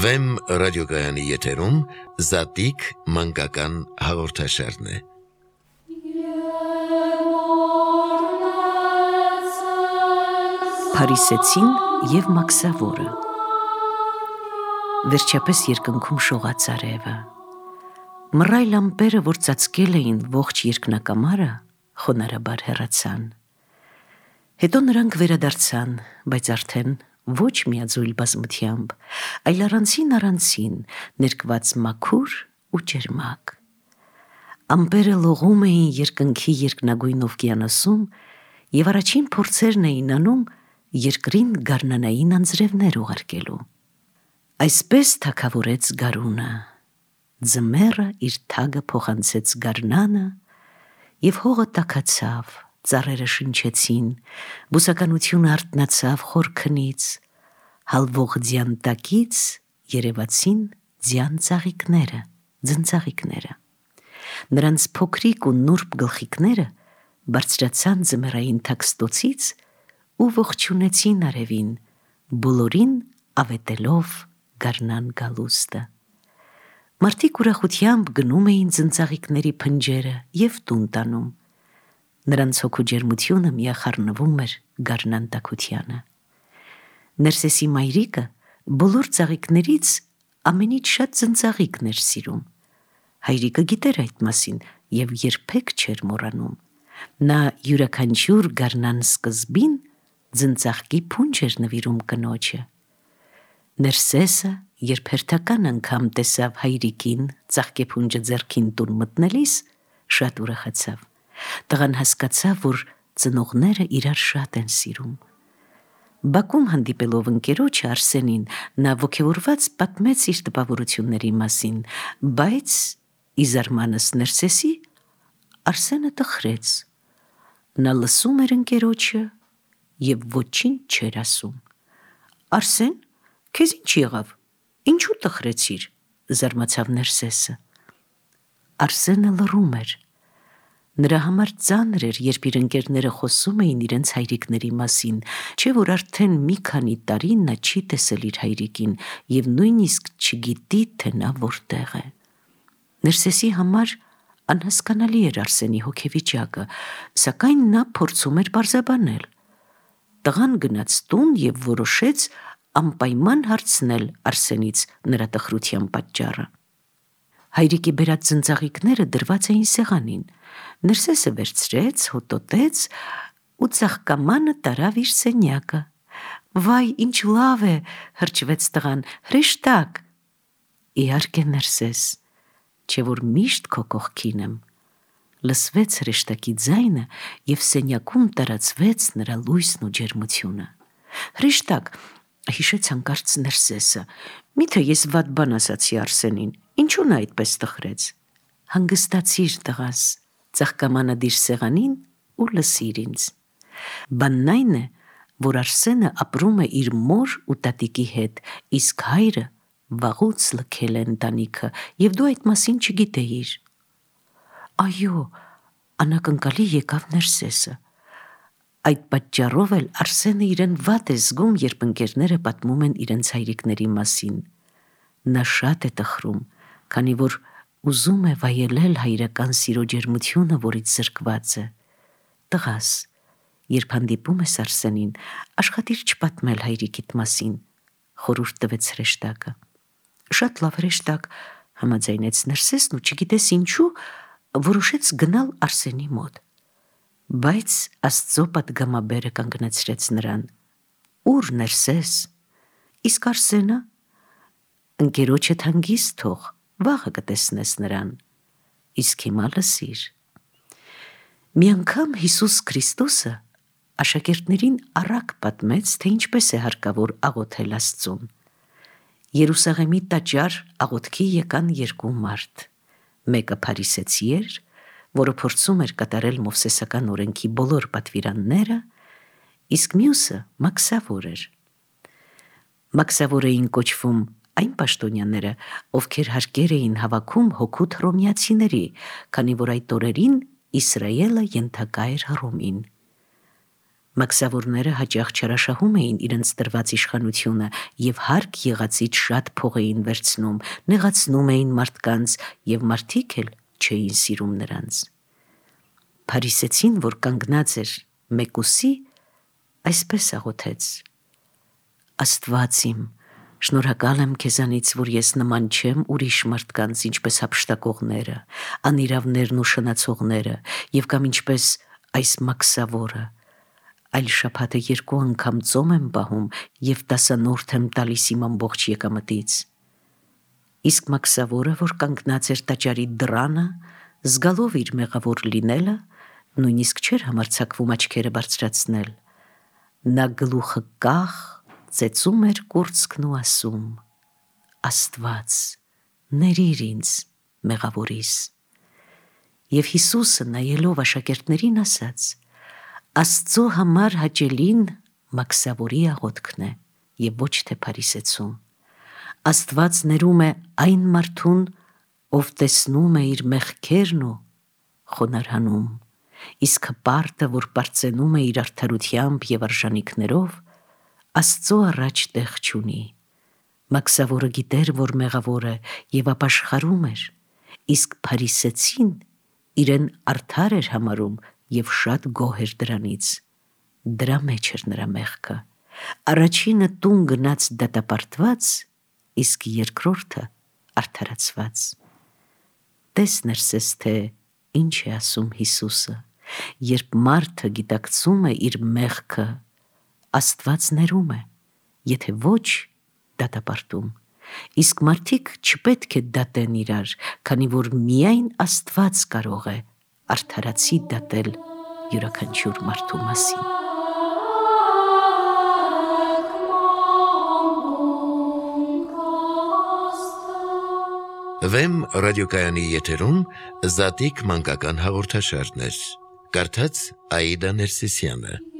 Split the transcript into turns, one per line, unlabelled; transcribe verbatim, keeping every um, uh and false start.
Վեմ ռադիոգայանի եթերում Զատիկ մանկական հաղորդաշարն է։
Փարիսեցին և Մաքսավորը։ Վերջապես երկնքում շողաց արևը։ Մռայլ ամպերը, որ ծածկել էին ողջ երկնակամարը, խոնարհաբար հեռացան։ Հետո նրանք վերադարձան, բայց արդեն ոչ միաձույլ բազմությամբ, այլ առանցին-առանցին, ներկված մաքուր ու ջերմակ։ Ամպերը լողում էին երկնքի երկնագույն օվկիանոսում և առաջին փորձերն էին անում երկրին գարնանային անձրևներ ուղարկելու։ Այսպես թագավորեց գարունը, ձմեռը իր թագը փոխանցեց գարնանը, և հողը տաքացավ, ծառերը շնչեցին, բուսականությունը արթնացավ խոր քնից, հալվող ձյան տակից երևացին ձյան ծաղիկները, ձնծաղիկները։ Նրանց փոքրիկ ու նուրբ գլխիկները բարձրացան ձմեռային թաքստոցից ու ողջունեցին արևին, բոլորին ավետելով գարնան գալուստը։ Մարդիկ ուրախությամբ գնում էին ձնծաղիկների փնջերը և տուն տանում։ Նրանց հոգու ջերմությունը միախառնվում էր գարնան տաքությանը։ Ներսեսի մայրիկը բոլոր ծաղիկներից ամենից շատ ձնծաղիկն էր սիրում։ Հայրիկը գիտեր այդ մասին և երբեք չէր մոռանում։ Նա յուրաքանչյուր գարնան սկզբին ձնծաղկի փունջ էր նվիրում կնոջը։ Ներսեսը, երբ հերթական անգամ տեսավ հայրիկին ծաղկեփունջը ձեռքին տուն մտնելիս, շատ ուրախացավ։ Տղան հասկացավ, որ ծնողները իրար շատ են սիրում։ Բակում հանդիպելով ընկերոջը Արսենին, նա ոգևորված պատմեց իր տպավորությունների մասին, բայց ի զարմանս Ներսեսի, Արսենը տխրեց։ Նա լսում էր ընկերոջը և ոչինչ չէր ասում։ Արսեն, քեզ ինչ եղավ, ինչու տխրեցիր, զարմացավ Ներսեսը։ Արսենը լռում էր։ Նրա համար ծանր էր, երբ իր ընկերները խոսում էին իրենց հայրիկների մասին, չէ՞ որ արդեն մի քանի տարի նա չի տեսել իր հայրիկին և նույնիսկ չգիտի, թե նա որտեղ է։ Ներսեսի համար անհասկանալի էր Արսենի հոգեվիճակը, սակայն նա փորձում էր պարզաբանել։ Տղան գնաց տուն և որոշեց անպայման հարցնել Արսենից նրա տխրության պատճառը։ Հայրիկի բերած ձնծաղիկները դրված էին սեղանին։ Ներսեսը վերցրեց, հոտոտեց ու ծաղկամանը տարավ իր սենյակը։ Վայ, ինչ լավ է, հրճվեց տղան, հրեշտակ։ Իհարկե, Ներսես, չէ՞ որ միշտ քո կողքին եմ։ Լսվեց հրեշտակի ձայնը և սենյակում տարածվեց նրա լույսն ու ջերմությունը։ Հրեշտակ, հիշեց հանկարծ Ներսեսը, միթե ես վատ բան ասացի Արսենին, ինչու նա այդպես տխրեց։ Հանգստացիր, տղաս, ծաղկամանը դիր սեղանին ու լսիր ինձ։ Բանն այն է, որ Արսենը ապրում է իր մոր ու տատիկի հետ, իսկ հայրը վաղուց լքել է ընտանիքը, և դու այդ մասին չգիտեիր։ Այո, անակնկալի եկավ Ներսեսը։ Այդ պատճառով էլ Արսենը իրեն վատ է զգում, երբ ընկերները պատմում են իրենց հայրիկների մասին։ Նա շատ է տխրում, քանի որ ուզում է վայելել հայրական սիրո ջերմությունը, որից զրկված է։ Տղաս, երբ հանդիպում ես Արսենին, աշխատիր չպատմել հայրիկիդ մասին, խորհուրդ տվեց հրեշտակը։ Շատ լավ, հրեշտակ, համաձայնեց Ներսեսն ու չգիտես ինչու որոշեց գնալ Արսենի մոտ։ Բայց Աստծո պատգամաբերը կանգնեցրեց նրան։ Ուր Ներսես, իսկ Արսենը։ Ընկերոջդ հանգիստ թող, վաղը կտեսնես նրան։ Իսկ հիմա լսիր։ Մի անգամ Հիսուս Քրիստոսը աշակերտներին առակ պատմեց, թե ինչպես է հարկավոր աղոթել Աստծուն։ Երուսաղեմի տաճար աղոթքի եկան երկու մարդ։ Մեկը փարիսեցի էր, որը փորձում էր կատարել Մովսեսական օրենքի բոլոր պատվիրանները, իսկ մյուսը Մաքսավոր էր։ Մաքսավոր էին կոչվում այն պաշտոնյաները, ովքեր հարկեր էին հավաքում հօգուտ հռոմեացիների, քանի որ այդ օրերին Իսրայելը ենթակա էր Հռոմին։ Մաքսավորները հաճախ չարաշահում էին իրենց տրված իշխանությունը եւ հարկ եղածից շատ փող էին վերցնում, նեղացնում էին մարդկանց եւ մարդիկ էլ չէին սիրում նրանց։ Փարիսեցին, որ կանգնած էր մեկուսի, այսպես աղոթեց. Աստված իմ, շնորհակալ եմ քեզանից, որ ես նման չեմ ուրիշ մարդկանց, ինչպես հափշտակողները, անիրավներն ու շնացողները, եւ կամ ինչպես այս մաքսավորը, այլ շաբաթը երկու անգամ ծոմ եմ պահում եւ տասանորդ եմ տալիս իմ ամբողջ եկամտից։ Իսկ մաքսավորը, որ կանգնած էր տաճարի դռանը, զգալով իր մեղավոր լինելը, նույնիսկ չէր համարձակվում աչքերը բարձրացնել։ Նա գլուխը կախ ծեծում էր կուրծքն ու ասում. Աստված, ներիր ինձ մեղավորիս։ Եվ Հիսուսը նայելով աշակերտներին ասաց. Աստծո համար հաճելին մաքսավորի աղոթքն է եւ ոչ թե փարիսեցու։ Աստված ներում է այն մարդուն, ով տեսնում է իր մեղքերն ու խոնարհանում, իսկ հպարտը, որ պարծենում է իր արդարությամբ եւ արժանիքներով, Աստծո առաջ տեղ չունի։ Մաքսավորը գիտեր, որ մեղավոր է եւ ապաշխարում էր, իսկ փարիսեցին իրեն արդար էր համարում եւ շատ գոհ էր դրանից։ Դրա մեջ էր նրա մեղքը։ Առաջինը տուն գնաց դատապարտված, իսկ երկրորդը արդարացված։ Տես ներսես, թե ինչ է ասում Հիսուսը, երբ մարդը գիտակցում է իր մեղքը, Աստված ներում է, եթե ոչ դատապարտում, իսկ մարդիկ չպետք է դատեն իրար, քանի որ միայն Աստված կարող է արդարացի դատել յուրաքանչյուր մարդու մասին։
Վեմ ռադիոկայանի եթերում Զատիկ մանկական հաղորդաշարներ։ Կարդաց Աիդա Ներսիսյանը։